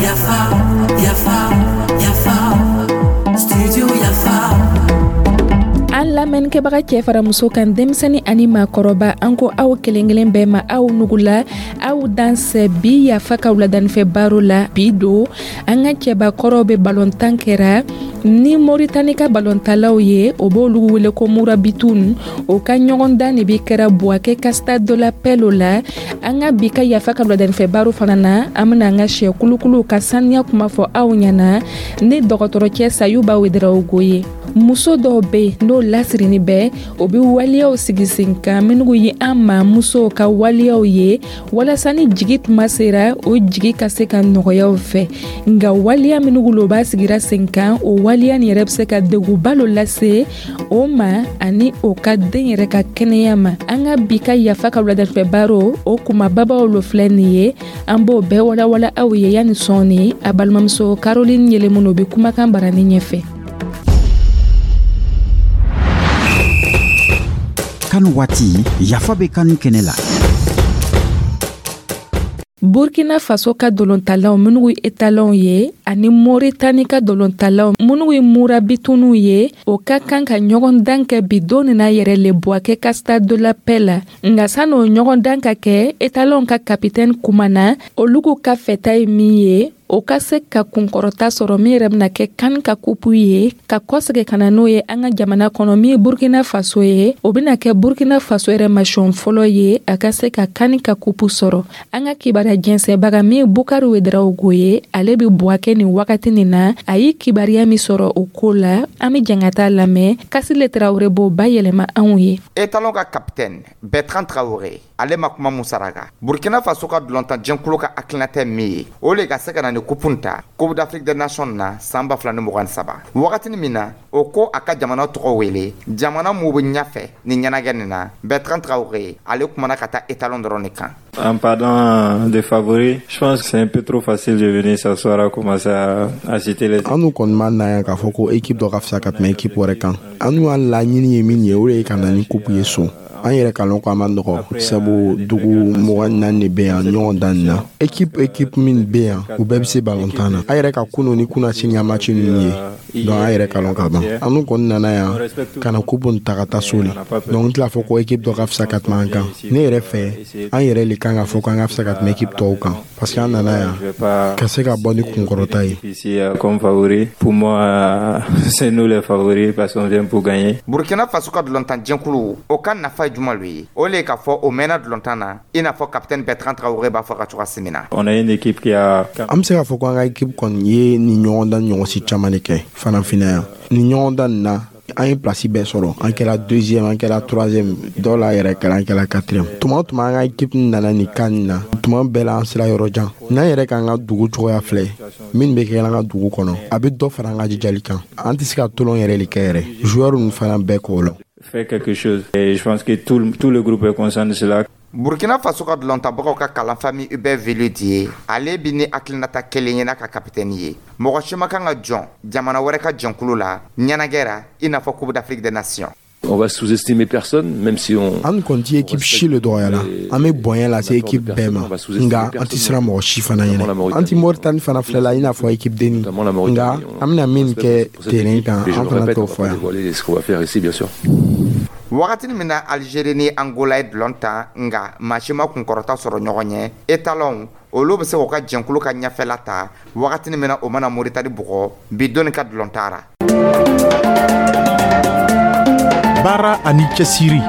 Yafa, yafa, yafa, studio Yafa. An lamɛnnikɛbaga, cɛ fara muso kan, denmisɛni ani maakɔrɔba, an ko aw kelen kelen bɛɛ ma, aw nugula, aw dansɛ. Bi Yafa ka wuladanifɛ baro la, bi don an ka cɛbakɔrɔw bɛ balontan kɛra ni Moritani ka balontalaw ye, o b'olu wele ko Murabitun. O ka ɲɔgɔndan de bi kɛra Buwakɛ ka Stade de la Paix la. An ka bi ka Yafa ka wuladanifɛ baro fana na, an bena an ka sɛ kulukuluw ka saniya kuma fɔ aw ɲɛna ni dɔgɔtɔrɔcɛ Sayuba Wedarawogo ye. Muso dɔw be yen, n'o lasirini bɛ, o be waleyaw sigi sen kan minnu ye an ma musow ka waleyaw ye, walasa ni jigi tuma sera, o jigi ka se ka nɔgɔyaw fɛ. Nka waleya minnu lo b'a sigira sen kan, o waleya nin yɛrɛ bɛ se ka degunba lo lase o ma ani o ka den yɛrɛ ka kɛnɛya ma. An ka bi ka Yafa ka wuladafɛ baro, o kumababaw lo filɛ nin ye, an b'o bɛɛ walawala aw ye yanni sɔɔni. A balimamuso Caroline Yɛlɛmunu bɛ kumakan barani ɲɛfɛ. CAN waati, Yafa bɛ CAN kɛnɛ la. Burkina Faso ka dolontalaw minnu ye Etalɔnw ye ani Moritani ka dolontalaw minnu ye Murabituniw ye, o ka kan ka ɲɔgɔn dan kɛ bi don nin na yɛrɛ le Buwakɛ ka Stade de la Paix la. Nka san'o ɲɔgɔn dan ka kɛ, Etalɔnw ka kapitɛni kumana olu ka fɛta ye min ye, o ka se ka kunkɔrɔta sɔrɔ min yɛrɛ bɛna kɛ CAN ka kupu ye, ka kɔsɛgɛ ka na n'o ye an ka jamana kɔnɔ min ye Burkina Faso ye. O bɛna kɛ Burkina Faso yɛrɛ masiyɔn fɔlɔ ye a ka se ka CAN ka kupu sɔrɔ. An ka kibaruya jɛnsɛnbaga min ye Bukari Wedarawogo ye, ale bɛ Buwakɛ nin wagati nin na. A ye kibaruya min sɔrɔ o ko la, an bɛ jɛn ka taa lamɛn. Kasile Tarawele b'o bayɛlɛma anw ye. Etalon ka capitaine Bertrand Traoré, ale ma kuma mun saraka, Burkina Faso ka dulɔntan jɛnkulu ka hakilinata min ye, o le ka se ka na ni kupu ta Coupe d'Afrique des Nations na san 2023. Wagatini min na o ko a ka jamana tɔgɔ wele jamana mun bɛ ɲɛfɛ ni ɲɛnagɛ nin na, Bertrand Traoré, ale kumana ka taa Etalon dɔrɔn de kan. En parlant des favoris, je pense que c'est un peu trop facile de venir s'asseoir à commencer à citer les. An n'u kɔni ma na yan k'a fɔ ko équipe dɔ ka fisa ka tɛmɛ équipe wɛrɛ kan. An n'u y'a laɲini ye min ye, o de ye ka na ni coupe ye so. An yɛrɛ ka lɔn ko a ma nɔgɔ, sabu dugu 24 de bɛ yan ɲɔgɔn dan nin na. Équipe min bɛ yan, u bɛɛ bɛ se balontan na. An yɛrɛ ka kunu ni kunna sini ka match ninnu ye, donc an yɛrɛ ka lɔn ka ban. An n'u kɔni nana yan ka na coupe nin ta ka taa so le. Donc n tɛna fɔ ko équipe dɔ ka fisa ka tɛmɛ an kan. Ne yɛrɛ fɛ, an yɛrɛ le kan ka fɔ k'an ka fisa ka tɛmɛ équipe tɔw kan, parce que an nana yan ka se ka bɔ ni kunkɔrɔta ye. Ici comme favori, pour moi, c'est nous les favoris parce qu'on vient pour gagner. Burkina Faso ka dulɔntan jɛnkulu, o ka nafa ye juma lo ye? O le k'a fɔ o mɛnna dulɔntan na, i n'a fɔ capitaine Bertrand Traoré b'a fɔ ka cogoya min na. On a une équipe qui a An bɛ se k'a fɔ ko an ka équipe kɔni ye nin ɲɔgɔndan ɲɔgɔnsi caman de kɛ farafinna yan. Nin ɲɔgɔndan nin na, an ye place bɛɛ sɔrɔ. An kɛra deuxième, an kɛra troisième, dɔw la yɛrɛ kɛra an kɛra quatrième. Tuma o tuma an ka équipe nana nin CAN nin na, tuma bɛɛ la an sera yɔrɔ jan. N'an yɛrɛ k'an ka dugu cogoya filɛ, min bɛ kɛ an ka dugu kɔnɔ, a bɛ dɔ fara an ka jijali kan. An tɛ se ka tolon yɛrɛ de kɛ yɛrɛ, joueur ninnu fana bɛɛ k'o lɔn. Faire quelque chose. Et je pense que tout le groupe est conscient de cela. Burkina Faso ka dulɔntabagaw ka kalanfa min Hubert Velud ye, ale bi ni hakilinata kelen ye n'a ka kapitɛni ye: mɔgɔ si ma kan ka jɔn jamana wɛrɛ ka jɛnkulu la ɲɛnagɛ ra, i n'a fɔ Coupe d'Afrique des Nations. On va sous-estimer personne, même si on. An kɔni ti équipe si le dɔgɔya la. An bɛ bonya lase équipe bɛɛ ma, nka an ti siran mɔgɔ si fana ɲɛnɛ. An ti Moritani fana filɛ la i n'a fɔ équipe denni, nka an bɛna min kɛ terrain kan, an fana t'o fɔ yan. Ce qu'on va faire ici, bien sûr. Wagatini min na Algérie ni Angola ye dulɔn ta, nka maa si ma kunkɔrɔta sɔrɔ ɲɔgɔn ɲɛ, Etalɔnw, olu bɛ se k'u ka jɛnkulu ka ɲɛfɛla ta wagatini min na o mana Moritani bugɔ bi doni ka dulɔn taara. Baara ani cɛsiri.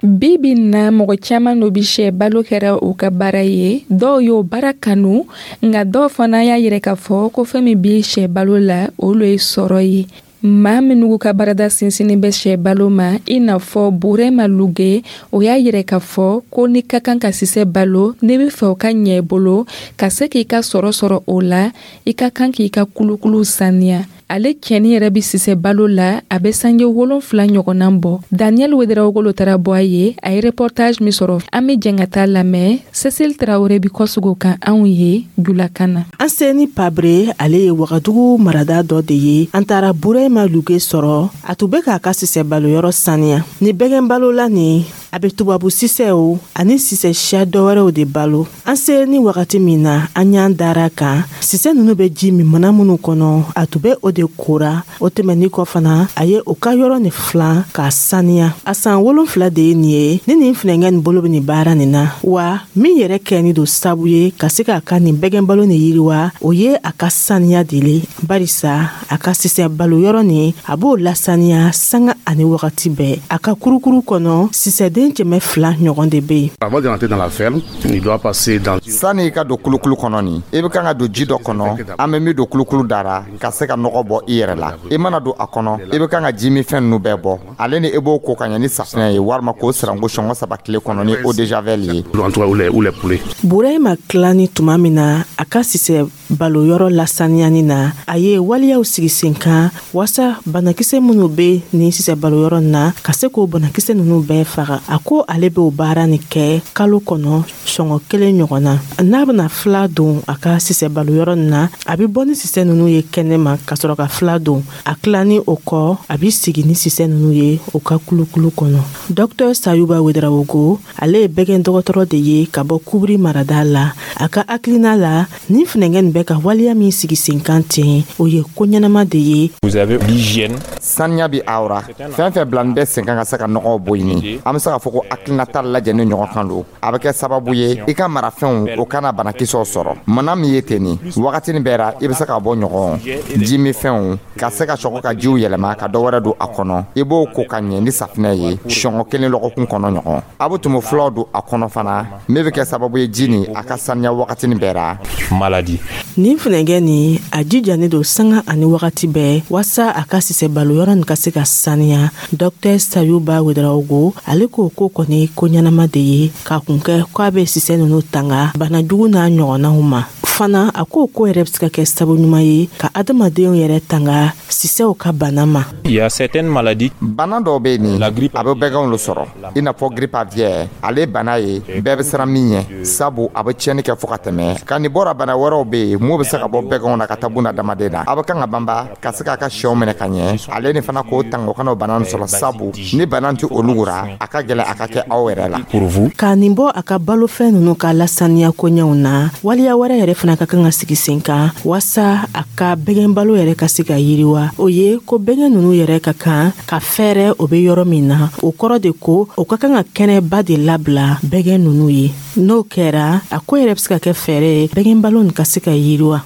Bi bi na, mɔgɔ caman no bi sɛ balo kɛra u ka baara ye. Dɔw y'o baara kanu, nka dɔw fana y'a yɛrɛ k'a fɔ ko fɛn min bi sɛ balo la, olu ye sɔrɔ ye. Maa minnu ka baarada sinsinnin bɛ sɛ balo ma, i n'a fɔ Burema Luge, o y'a yɛrɛ k'a fɔ ko n'i ka kan ka sisɛ balo, n'i bɛ fɛ o ka ɲɛ i bolo, ka se k'i ka sɔrɔ sɔrɔ o la, i ka kan k'i ka kulukulu saniya. Ale cɛni yɛrɛ bɛ sisɛ balo la, a bɛ sange 7 ɲɔgɔnna bɔ. Daniel Wedrawogolo taara bɔ a ye. A ye reportage min sɔrɔ, an bɛ jɛn ka taa lamɛn. Cecile Tarawele bi kɔsugu kan anw ye julakan na. An seni Pabre, ale ye Wagadugu marada dɔ de ye. An taara Burema Luge sɔrɔ, a tun bɛ k'a ka sisɛ baloyɔrɔ saniya ni bɛgɛn balola nin. A bɛ tubabu sisɛw ani sisɛ siya dɔwɛrɛw de balo. An selen ni wagati min na, an y'an dara kan sisɛ ninnu bɛ ji min mana minnu kɔnɔ, a tun bɛ o de kora. O tɛmɛnin kɔ fana, a ye o ka yɔrɔ nin filan k'a saniya. A san 7 de ye nin ye ni nin funɛnkɛ nin bolo bɛ nin baara nin na. Wa min yɛrɛ kɛni don sabu ye ka se k'a ka nin bɛgɛn balo nin yiriwa, o ye a ka saniya de le, barisa a ka sisɛ balo yɔrɔ nin, a b'o lasaniya sanga ani wagati bɛɛ. A ka kurukuru kɔnɔ, sisɛden 200 ɲɔgɔn de bɛ yen. Avant de rentrer dans la ferme, il doit passer dans Sani i ka don kulukulu kɔnɔ nin, i bɛ kan ka don ji dɔ kɔnɔ an bɛ min don kulukulu dara ka se ka nɔgɔ bɔ i yɛrɛ la. I mana don a kɔnɔ, i bɛ kan ka ji min fɛn ninnu bɛɛ bɔ ale ni i b'o ko ka ɲɛ ni safunɛ ye, walima k'o siranko sɔngɔ 3 tile kɔnɔ ni eau de javel ye. En tout cas, ou les poulets. Burahima tilani tuma min na a ka sisɛ balo yɔrɔ lasaniyani na, a ye waleyaw sigi sen kan waasa banakisɛ minnu bɛ nin sisɛ balo yɔrɔ na, ka se k'o banakisɛ ninnu bɛɛ faga. A ko ale b'o baara nin kɛ kalo kɔnɔ sɔngɔ 1 ɲɔgɔn na. N'a bɛna fila don a ka sisɛ balo yɔrɔ nin na, a bɛ bɔ ni sisɛ ninnu ye kɛnɛ ma ka sɔrɔ ka fila don. A tilani o kɔ, a bɛ sigi ni sisɛ ninnu ye o ka kulukulu kɔnɔ. Dɔktɛr Sayuba Wedarawogo, ale ye bɛgɛn dɔgɔtɔrɔ de ye ka bɔ Kubiri marada la. A ka hakilina la, nin funɛnkɛ nin bɛ ka waleya min sigi sen kan ten, o ye ko ɲɛnama de ye. Vous avez l'hygiène. Saniya bi awra fɛn fɛn bilani bɛ sen kan ka se ka nɔgɔw bɔ ɲini, an bɛ se k'a fɔ ko hakilinata lajɛlen ɲɔgɔn kan don. A bɛ kɛ sababu ye i ka marafɛnw o kana banakisɛw sɔrɔ. Mana min ye ten nin wagati nin bɛɛ ra, i bɛ se ka bɔ ɲɔgɔn ji minfɛnw ka se ka sɔgɔ ka jiw yɛlɛma ka dɔ wɛrɛ don a kɔnɔ. I b'o ko ka ɲɛ ni safunɛ ye sɔngɔ 1 lɔgɔkun kɔnɔ ɲɔgɔn. A bɛ tumu fulaw don a kɔnɔ fana, min bɛ kɛ sababu ye ji nin a ka saniya wagati nin bɛɛ ra. Maladie. Nin funɛnkɛ nin, a jijanen don sanga ani wagati bɛɛ waasa a ka sisɛ balo yɔrɔ nin ka se ka saniya. Dɔktɛr Sayuba Wedarawogo, ale ko ko kɔni ko ɲɛnama de ye k'a kun kɛ k'a bɛ sisɛ ninnu tanga bana jugu n'a ɲɔgɔnnaw ma. Fana a ko ko yɛrɛ bɛ se ka kɛ sababu ɲuman ye ka adamadenw yɛrɛ tanga sisɛw ka bana ma. Il y a certaines maladies. Bana dɔw bɛ yen nin, a bɛ bɛganw lo sɔrɔ, i n'a fɔ grippe aviaire. Ale bana ye bɛɛ bɛ siran min ɲɛ, sabu a bɛ tiɲɛni kɛ fo ka tɛmɛ. Ka nin bɔra, bana wɛrɛw bɛ yen mun bɛ se ka bɔ bɛganw na ka taa buna adamaden na. A bɛ kan ka banba ka se k'a ka sɛw minɛ ka ɲɛ, ale ni fana k'o tanga o kana o bana nin sɔrɔ, sabu ni bana tɛ olu ra, a ka gɛlɛn a ka kɛ aw yɛrɛ la. Pour vous. Ka nin bɔ a ka balofɛn ninnu ka lasaniya koɲɛw na, waleya wɛrɛ yɛrɛ fana ka kan ka sigi sen kan waasa a ka bɛgɛn balo yɛrɛ ka se ka yiriwa. O ye ko bɛgɛn ninnu yɛrɛ ka kan ka fɛɛrɛ o bɛ yɔrɔ min na. O kɔrɔ de ko o ka kan ka kɛnɛba de labila bɛgɛn ninnu ye. N'o kɛra, a ko yɛrɛ bɛ se ka kɛ fɛɛrɛ ye bɛgɛn balo nin ka se ka yiriwa.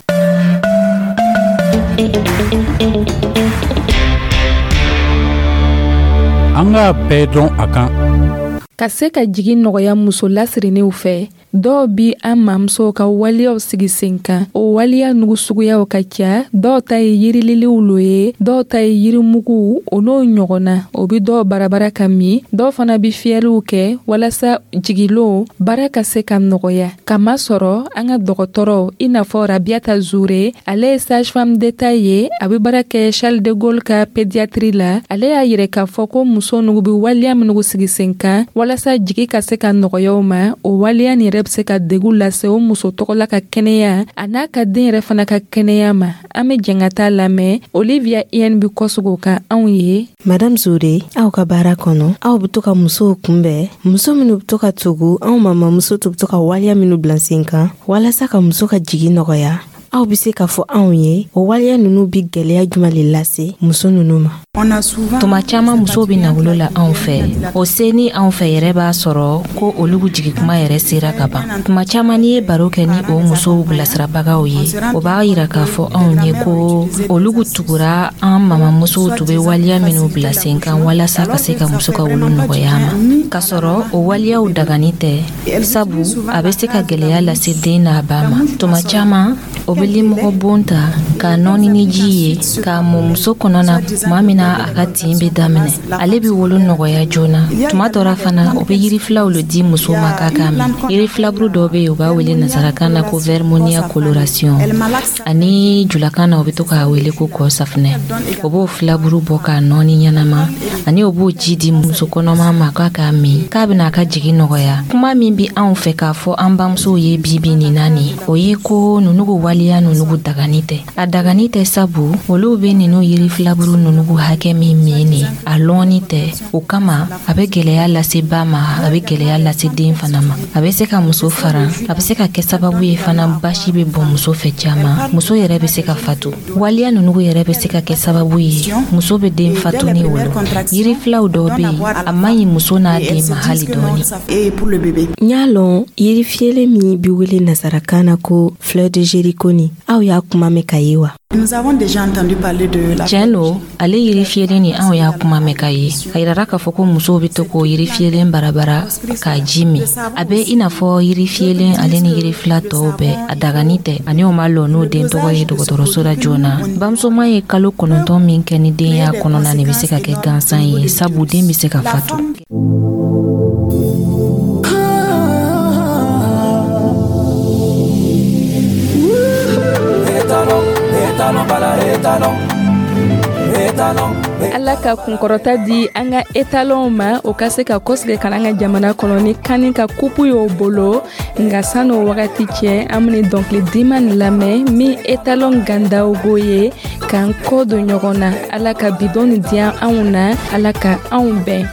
An k'a bɛɛ dɔn a kan. Ka se ka jigin nɔgɔya muso lasirinnenw fɛ, dɔw bi an mamusow ka waleyaw sigi sen kan. O waleya nugu suguyaw ka ca. Dɔw ta ye yirililiw lo ye, dɔw ta ye yirimuguw, o n'o ɲɔgɔnna. O bi dɔw barabara ka min, dɔw fana bi fiyɛliw kɛ walasa jigilon baara ka se ka nɔgɔya. Kamasɔrɔ an ka dɔgɔtɔrɔw, i n'a fɔ Rabiata Zure, ale ye sage-femme d'État ye, a bɛ baara kɛ Charles de Gaulle ka pédiatrie la. Ale y'a yira k'a fɔ ko muso nugu bi waleya minnu sigi sen kan walasa jigi ka se ka nɔgɔya u ma, o waleya nin yɛrɛ bɛ se ka degun lase o muso tɔgɔla ka kɛnɛya a n'a ka den yɛrɛ fana ka kɛnɛya ma. An bɛ jɛn ka taa lamɛn. Olivia Ien bi kɔsegin o kan anw ye. Madame Zure, aw ka baara kɔnɔ, aw bɛ to ka musow kunbɛn, muso minnu bɛ to ka tugu anw mamamuso to bɛ to ka waleya minnu bila sen kan walasa ka muso ka jigin nɔgɔya. Aw bɛ se k'a fɔ anw ye o waleya ninnu bɛ gɛlɛya jumɛn de lase muso ninnu ma? Tuma caman musow bɛ na wolo la anw fɛ. O se ni anw fɛ yɛrɛ b'a sɔrɔ ko olu jigin kuma yɛrɛ sera ka ban. Tuma caman n'i ye baro kɛ ni o musow bilasirabagaw ye, o b'a yira k'a fɔ anw ye ko olu tugura an mamamusow tun bɛ waleya minnu bila sen kan walasa ka se ka muso ka wolo nɔgɔya ma. K'a sɔrɔ o waleyaw dagani tɛ, sabu a bɛ se ka gɛlɛya lase den n'a ba ma. Tuma caman o bɛ limɔgɔ bon ta k'a nɔɔni ni ji ye k'a mɔ muso kɔnɔ na tuma min na a ka tin bɛ daminɛ, ale bɛ wolo nɔgɔya joona. Tuma dɔ la fana, o bɛ yiri filaw le di muso ma k'a k'a min. Yiri filaburu dɔw bɛ yen, u b'a wele nansarakan na ko vermonia coloration, ani julakan na u bɛ to k'a wele ko kɔ safunɛ. O b'o filaburu bɔ k'a nɔɔni ɲɛnama, ani o b'o ji di muso kɔnɔma ma k'a k'a min, k'a bɛna a ka jigin nɔgɔya. Kuma min bɛ anw fɛ k'a fɔ an bamusow ye bi bi nin na nin, o ye ko ninnu ko waleya Waliya nunugu dagani tɛ. A dagani tɛ sabu olu be ninu yiri filaburu nunugu hakɛ min min ni a lɔnni tɛ. O kama, a be gwɛlɛya lase ba ma, a be gwɛlɛya lase den fana ma. A be se ka muso faran, a be se ka kɛ sababu ye fana basi be bɔn muso fɛ caaman, muso yɛrɛ be se ka fatu. Waliya nunugu yɛrɛ be se ka kɛ sababu ye muso be den fatu ni wolo. Yiri filaw dɔw be yen, a man ɲi muso n'a den ma hali dɔɔni. N y'a lɔn yiri fiyɛlen min bi wele nasarakan na ko fleur de Jéricho ni, aw y'a kuma mɛn ka ye wa? Tiɲɛ lo, ale yiri fiyelen ni, anw y'a kuma mɛn ka ye. A yirara k'a fɔ ko musow be to k'o yiri fiyelen barabara k'a ji min. A bɛ i n'a fɔ yiri fiyelen ale ni yiri fila tɔw bɛɛ, a dagani tɛ, ani o ma lɔ n'o den tɔgɔ ye dɔgɔtɔrɔso la joona. Bamusoman ye kalo 9 min kɛ ni den y'a kɔnɔna nin, bɛ se ka kɛ gansan ye, sabu den bɛ se ka fatu. Ala ka kunkɔrɔta di an ka etalɔnw ma, o ka se ka kɔsigi ka an ka jamana kɔnɔ ni CAN ka kupu y'o bolo. Nka san'o wagati cɛ, an bɛna dɔnkili diman nin lamɛn min etalɔn Gandawogo ye k'an kɔ don ɲɔgɔn na. Ala ka bidon nin diya anw na, Ala ka anw bɛn.